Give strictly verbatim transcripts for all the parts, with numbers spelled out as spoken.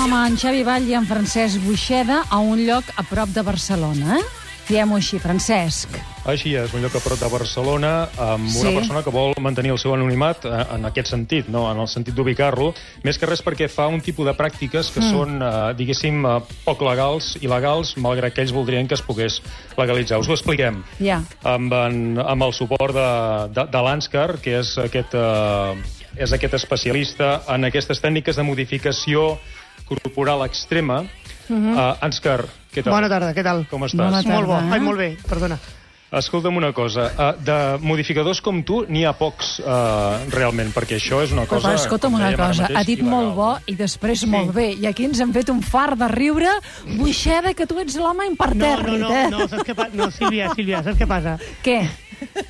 home, en Xavi Vall i en Francesc Buixeda a un lloc a prop de Barcelona, eh? Diem-ho així, Francesc. Així és, un lloc a prop de Barcelona amb Sí. una persona que vol mantenir el seu anonimat eh, en aquest sentit, no? En el sentit d'ubicar-lo, més que res perquè fa un tipus de pràctiques que mm. són, eh, diguéssim, eh, poc legals, il·legals, malgrat que ells voldrien que es pogués legalitzar. Us ho expliquem. Ja. Amb, en, amb el suport de, de, de l'Anscar, que és aquest, eh, és aquest especialista en aquestes tècniques de modificació corporal extrema. Mm-hmm. uh, Anscar, què tal? Bona tarda, què tal? Com estàs? Bona tarda. Molt bo, eh? ai, molt bé, perdona. Escolta'm una cosa, uh, de modificadors com tu n'hi ha pocs uh, realment, perquè això és una Però, cosa... escolta'm com una dèiem ara cosa, mateix, ha dit il·legal. molt bo i després sí. molt bé. I aquí ens hem fet un far de riure. Buixeda, que tu ets l'home No, impertèrrit, no, no, eh? no, saps què passa? No, Sílvia, Sílvia, saps què passa? Què?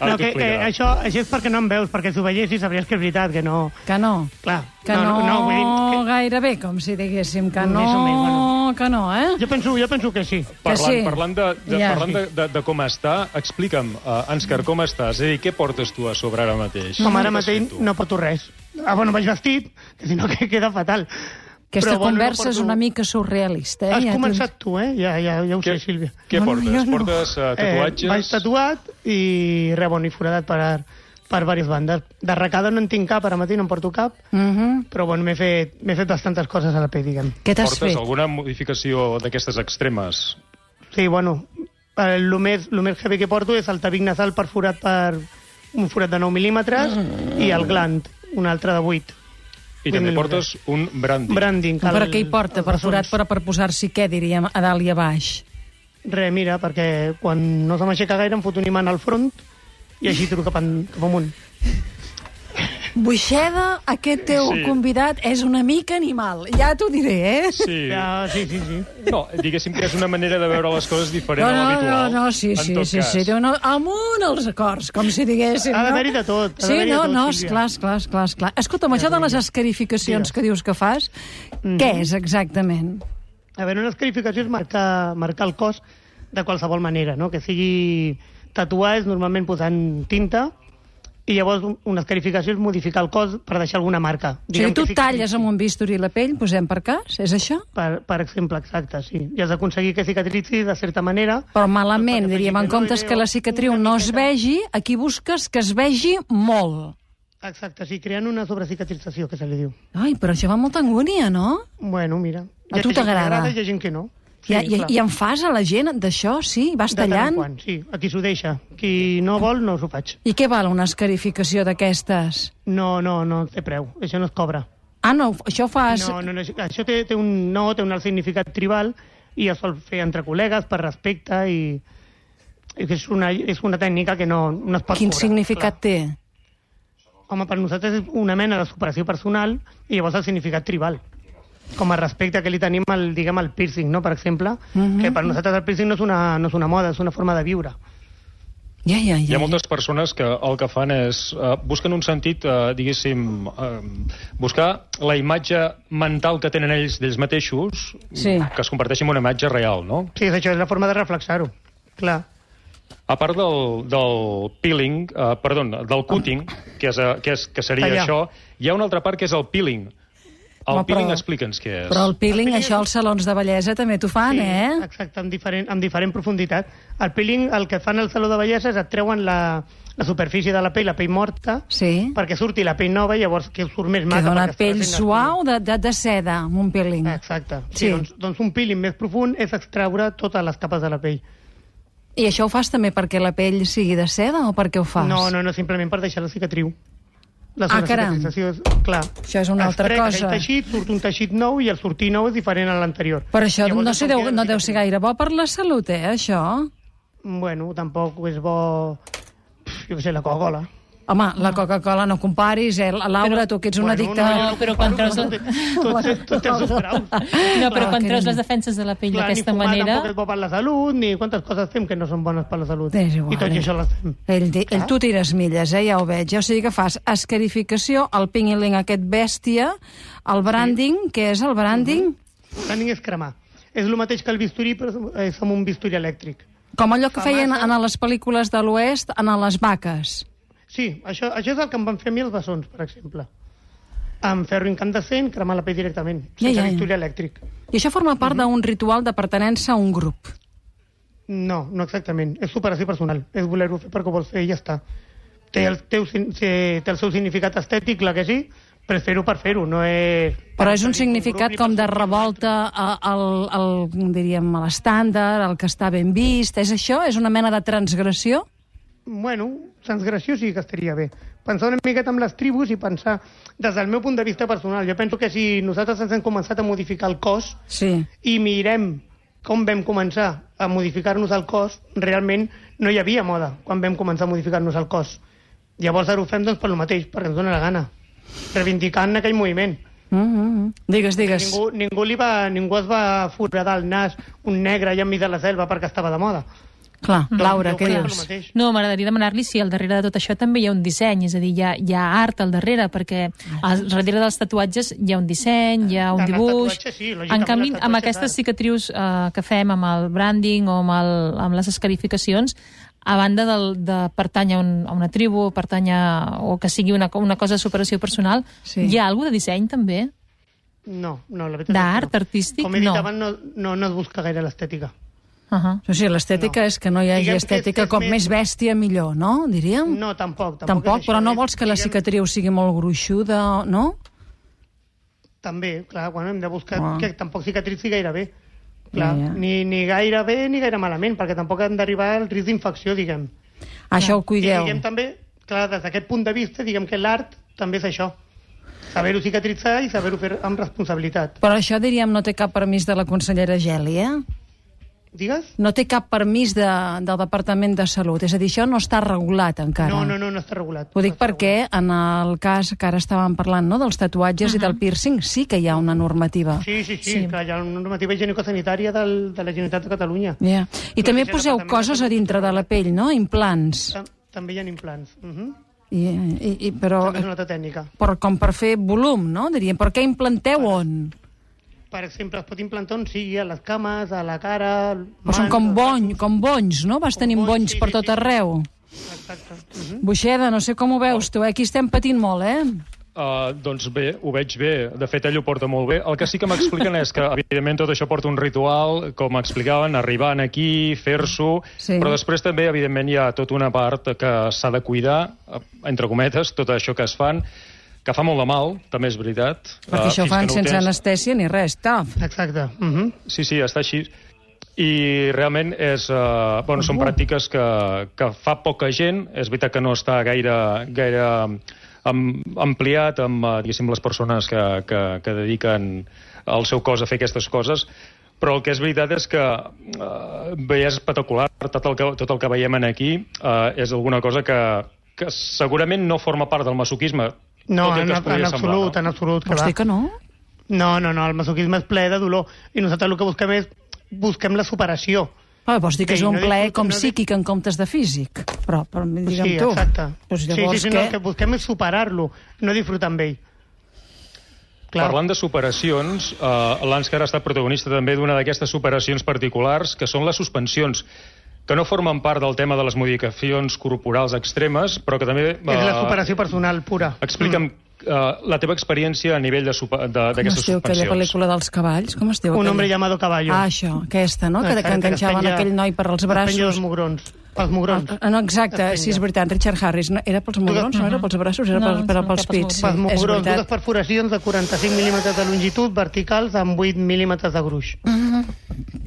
Ara No, t'ho que, eh, explicarà. això, això és perquè no em veus, perquè si ho veiessis sabries que és veritat, que no... Que no? Clar, Que no, no, no, vull dir que... gairebé, com si diguéssim que no, Més o menys, bueno. que no, eh? Jo penso, jo penso que sí. Parlant, sí. parlant, de, de, Ja. parlant de, de, de com està, explica'm, uh, Anscar, com estàs? És a dir, què portes tu a sobre ara mateix? Com ara Què has mateix fet tu? no porto res. Ah, bueno, vaig vestit, que si no que queda fatal. Aquesta Però, bueno, no conversa és porto- una mica surrealista, eh? Has Ja començat tu, eh? Ja, ja, ja ho sé, Què, Sílvia. què No, no, portes? jo no. Portes uh, tatuatges? Eh, vaig tatuat i res, bueno, i foradat per, per diverses bandes. D'arracada no en tinc cap, ara mateix no en porto cap, Mhm. però bueno, m'he fet, m'he fet bastantes coses a la pell, diguem. Què t'has Portes fet? alguna modificació d'aquestes extremes? Sí, bueno, el més, el més heavy que porto és el tabic nasal perforat per un forat de nou mil·límetres i el gland, un altre de vuit. I també vuit portes un branding. Branding. Per què hi porta? els Perforat bessons. però per posar-s'hi què, diríem, a dalt i a baix? Re, mira, perquè quan no se m'aixeca gaire em foto un imant al front i així tiro cap, en, cap amunt. Buixeda, aquest teu Sí. convidat és una mica animal. Ja t'ho diré, eh? Sí. Ja, sí, sí, sí. No, diguéssim que és una manera de veure les coses diferent No, a no, l'habitual. no, no, sí, en sí, tot sí, cas. sí, no, amunt els acords, com si diguéssim, Ha no? d'haver-hi de tot, ha Sí, d'haver-hi de no, tot, no, Sílvia. esclar, esclar, esclar, esclar. Escolta'm, això de les escarificacions Digues. que dius que fas, què és exactament? A veure, una escarificació és marcar, marcar el cos de qualsevol manera, no? Que sigui tatuar és normalment posant tinta i llavors un- una escarificació és modificar el cos per deixar alguna marca. O sigui, tu que sí que talles sí. amb un bisturí la pell, posem per cas, és això? Per, per exemple, exacte, sí. I has d'aconseguir que cicatritzi de certa manera. Però malament, Perquè diríem, en faci que no comptes hi que la vegi cicatriu una no es miqueta- vegi, aquí busques que es vegi molt. Exacte, sí, creant una sobrecicatrització, que se li diu. Ai, però això va amb molta angúnia, no? Bueno, mira. A Hi tu gent que li t'agrada? I hi ha gent que no. I, i, clar. I en fas a la gent d'això, sí? Vas De tant en tallant? quant, sí. A qui s'ho deixa. Qui no vol, no s'ho faig. I què val una escarificació d'aquestes? No, no, no té preu. Això no es cobra. Ah, no, això ho fas... No, no, no, això té, té un no, té un alt significat tribal i es sol fer entre col·legues per respecte i, i que és una, és una tècnica que no, no es pot Quin cobrar. significat té? Clar. Home, per nosaltres és una mena de superació personal i llavors el significat tribal. Com a respecte que li tenim al, diguem, al piercing, no? Per exemple, Mhm. que per nosaltres el piercing no és, una, no és una moda, és una forma de viure. Ja, ja, ja. Hi ha moltes persones que el que fan és... Uh, busquen un sentit, uh, diguéssim... Uh, buscar la imatge mental que tenen ells d'ells mateixos, Sí. que es converteixi en una imatge real, no? Sí, és això, és la forma de reflexar-ho. Clar. A part del, del peeling, uh, perdó, del cutting, que, és, uh, que, és, que seria Tallar. això, hi ha una altra part que és el peeling. El Home, peeling, però- explica'ns què és. Però el peeling, El peeling- això als salons de bellesa també t'ho fan, Sí, eh? exacte, amb diferent, amb diferent profunditat. El peeling, el que fan al saló de bellesa és et treuen la, la superfície de la pell, la pell morta, Sí. perquè surti la pell nova i llavors que surt més Que maca. dona perquè està pell recent suau de, de, de seda, amb un peeling. Exacte. Sí, Sí. Doncs, doncs un peeling més profund és extraure totes les capes de la pell. I això ho fas també perquè la pell sigui de seda o perquè ho fas? No, no, no, simplement per deixar la cicatriu. La Ah, caram. sobrecicatrització és, clar. Això és una Es altra trec cosa. aquell teixit, surt un teixit nou i el sortir nou és diferent a l'anterior. Però això Llavors no, és sé, com deu, queda no la deu ser cicatriu. gaire bo per la salut, eh, això? Bueno, tampoc és bo... Jo què sé, la Coca-Cola. Home, la Coca-Cola no comparis, eh? Laura, tu que ets una Bueno, addicta... no, No, però quan treus... Tot, tot, tot, tot té els seus graus. No, però quan que treus no. les defenses de la pell Clar, d'aquesta ni fumar manera... tampoc és bo per la salut, ni quantes coses fem que no són bones per la salut. És igual, I tot i eh? això les fem. Ell, di- ell, tu tires milles, eh? Ja ho veig. O sigui que fas escarificació, el peeling aquest bèstia, el branding, què és el branding? El branding és cremar. És el mateix que el bisturí, però és amb un bisturí elèctric. Com allò que Fa feien massa. en les pel·lícules de l'Oest, en les vaques. Sí, això, això és el que em van fer a mi els bessons, per exemple. amb ferro incandescent, cremar la pell directament, Ja, sense ja, ja. bisturi elèctric. I això forma part d'un ritual de pertenença a un grup. No, no exactament. És superació personal. És voler-ho fer perquè ho vols fer i ja està. Té el, teu, sin- té el seu significat estètic, clar que sí, però és fer-ho per fer-ho, no és... Però és un per significat grup ni com per de sortir revolta a- al, al, diríem, a l'estàndard, al que està ben vist. És això? És una mena de transgressió? Bueno, transgressió sí que estaria bé. Pensar una miqueta amb les tribus i pensar, des del meu punt de vista personal, jo penso que si nosaltres ens hem començat a modificar el cos Sí. i mirem com vam començar a modificar-nos el cos, realment no hi havia moda quan vam començar a modificar-nos el cos. Llavors ara ho fem doncs per lo mateix, perquè ens dona la gana, reivindicant aquell moviment. Mm -hmm. Digues, digues. Ningú, ningú, li va, ningú es va foradar el nas un negre allà enmig de la selva perquè estava de moda. Clar, Laura, Jo què crec dius? el mateix. No, m'agradaria demanar-li si al darrere de tot això també hi ha un disseny, és a dir, hi ha, hi ha art al darrere, perquè al darrere dels tatuatges hi ha un disseny, hi ha un En els dibuix... tatuatges, sí, lògicament, en canvi, els amb tatuatges, aquestes clar. cicatrius eh, que fem amb el branding o amb, el, amb les escarificacions, a banda del, de pertànyer a, un, a una tribu, pertànyer, o que sigui una, una cosa de superació personal, Sí. hi ha alguna de disseny també? No, no, la veritat D'art, és que no. artístic, Com he dit no. abans, no, no, no es busca gaire l'estètica. Uh -huh. O sigui, l'estètica No. és que no hi hagi Diguem que és- estètica és com més- més bèstia, millor, no? Diríem? No, tampoc. Tampoc, Tampoc, és però això, no és, vols que la diguem, cicatriu sigui molt gruixuda, no? També, clar, quan hem de buscar Ah. que tampoc cicatritzi gaire bé. Clar, Ja, ja. Ni, ni gaire bé ni gaire malament, perquè tampoc hem d'arribar al risc d'infecció, diguem. Això ho I cuideu. diguem també, clar, des d'aquest punt de vista, diguem que l'art també és això. Saber-ho cicatritzar i saber-ho fer amb responsabilitat. Però això, diríem, no té cap permís de la consellera Gèlia? Digues? No té cap permís de, del Departament de Salut. És a dir, això no està regulat encara. No, no, no, no està regulat. Ho dic no està perquè en el cas que ara estàvem parlant, no?, dels tatuatges uh -huh. i del piercing, sí que hi ha una normativa. Sí, sí, sí, Sí. clar, hi ha una normativa higienico-sanitària del, de la Generalitat de Catalunya. Yeah. I també mateix poseu Departament de coses a Salut. dintre de la pell, no?, implants. Tam també hi ha implants. Uh -huh. I, i, i, però, També és una altra tècnica. però com per fer volum, no? Diríem, però què implanteu on? Per exemple, es pot implantar on sigui, a les cames, a la cara... Però són com, bony, com bonys, no? Vas Com tenint bonys, bonys sí, per sí, tot sí. arreu. Exacte. Uh -huh. Buixeda, no sé com ho veus tu, eh? Aquí estem patint molt, eh? Uh, doncs bé, ho veig bé. De fet, ell ho porta molt bé. El que sí que m'expliquen és que, evidentment, tot això porta un ritual, com explicaven, arribant aquí, fer-s'ho, Sí. però després també, evidentment, hi ha tota una part que s'ha de cuidar, eh, entre cometes, tot això que es fan, que fa molt de mal, també és veritat. Perquè Uh, això ho fins fan que no ho sense tens. anestèsia ni res, taf. Exacte. Uh -huh. Sí, sí, està així. I realment és, uh, bueno, són pràctiques que, que fa poca gent. És veritat que no està gaire, gaire am, ampliat amb, uh, diguéssim, les persones que, que, que dediquen el seu cos a fer aquestes coses, però el que és veritat és que uh, bé, és espectacular. Tot el que, tot el que veiem aquí uh, és alguna cosa que, que segurament no forma part del masoquisme. No, tot i en, que es en podria absolut, semblar, no? en absolut. Que Vols va. dir que no? No, no, no, el masoquisme és ple de dolor. I nosaltres el que busquem és busquem la superació. Ah, vols dir que Sí, és un no plaer disfruta- com no dis- psíquic en comptes de físic? Però, però digue'm Sí, tu. exacte. Pues sí, llavors sí, sí, no, què? el que busquem és superar-lo, no disfrutar amb ell. Clar. Parlant de superacions, eh, l'Ànscar ha estat protagonista també d'una d'aquestes superacions particulars, que són les suspensions, que no formen part del tema de les modificacions corporals extremes, però que també... És la superació personal pura. Explica'm eh, la teva experiència a nivell de supa- de- Com d'aquestes es diu aquella suspensions. pel·lícula dels cavalls? Com es diu Un aquella? hombre llamado caballo. Ah, això, aquesta, no? Que, que Exacte, enganxaven es penja- aquell noi per als es penja braços. els mugrons. Els mugrons. Ah, no, exacte, Es sí, és penja. veritat, Richard Harris. No, era pels mugrons, no era pels braços, era No, pels, era no, pels pels pits. Sí, Pels és mugrons, dues veritat. perforacions de quaranta-cinc mil·límetres de longitud verticals amb vuit mil·límetres de gruix. Mhm.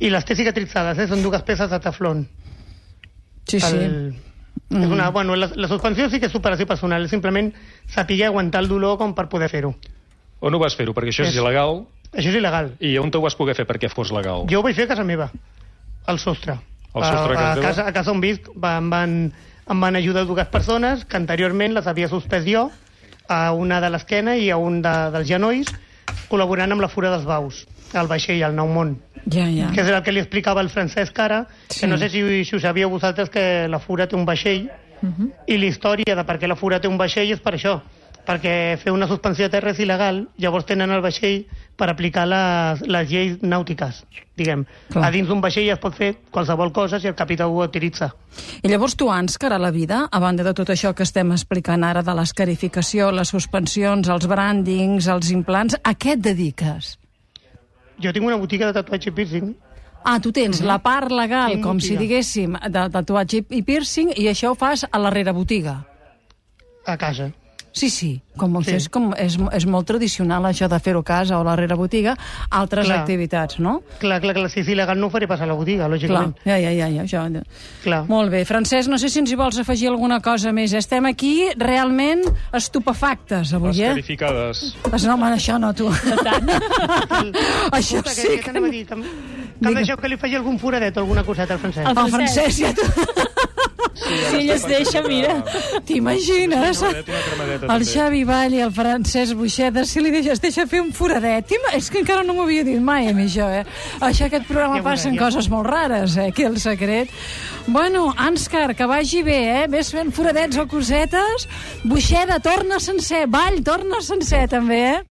I les té cicatritzades, eh? Són dues peces de teflon. Sí, sí. El... És una, bueno, la, la suspensió sí que és superació personal, és simplement saber aguantar el dolor com per poder fer-ho. On ho vas fer-ho? Perquè això és, És- il·legal, Això és il·legal. i on ho vas poder fer perquè fos legal? Jo ho vaig fer a casa meva, al sostre. Al sostre de casa a, a, teva? casa, a casa on visc va, em, van, em van ajudar dues persones que anteriorment les havia suspès jo, a una de l'esquena i a un de, dels genolls, col·laborant amb la Fura dels Baus, al vaixell, al Nou Món. Ja, ja. Que és el que li explicava el Francesc ara, Sí. que no sé si, si ho sabíeu vosaltres, que la Fura té un vaixell, Uh -huh. i la història de per què la Fura té un vaixell és per això. perquè fer una suspensió de terra és il·legal, llavors tenen el vaixell per aplicar les, les lleis nàutiques, diguem. Clar. A dins d'un vaixell es pot fer qualsevol cosa si el capità ho autoritza. I llavors tu, Ànscar, a la vida, a banda de tot això que estem explicant ara de l'escarificació, les suspensions, els brandings, els implants, a què et dediques? Jo tinc una botiga de tatuatge i piercing. Ah, tu tens la part legal, Tinc com botiga. si diguéssim, de tatuatge i piercing, i això ho fas a la rerebotiga. A casa. Sí, sí, com, Sí. És, com és, és molt tradicional això de fer-ho a casa o a la rerebotiga, altres Clar. activitats, no? Clar, clar, clar, si és il·legal no ho faré passar a la botiga, Clar, lògicament. ja, ja, ja, ja, això. Clar. Molt bé, Francesc, no sé si ens hi vols afegir alguna cosa més. Estem aquí realment estupefactes avui, eh? Escarificades. Pues no, home, això no, tu. Això Escolta, sí que, que... que, que, que, que em deixeu que li faci algun foradet o alguna coseta al francès. El El francès, ja tu... Si ell es deixa, mira. T'imagines? Sí, una cremadeta, una cremadeta, El també. Xavi Vall i el Francesc Buixeda, si li deixes, deixa fer un foradet. T'ima- És que encara no m'ho havia dit mai a mi, això, eh? Això, aquest programa Ja veurà, passen ja. coses molt rares, eh? Aquí el secret. Bueno, Ànscar, que vagi bé, eh? Ves fent foradets o cosetes. Buixeda, torna sencer. Vall, torna sencer, també, eh?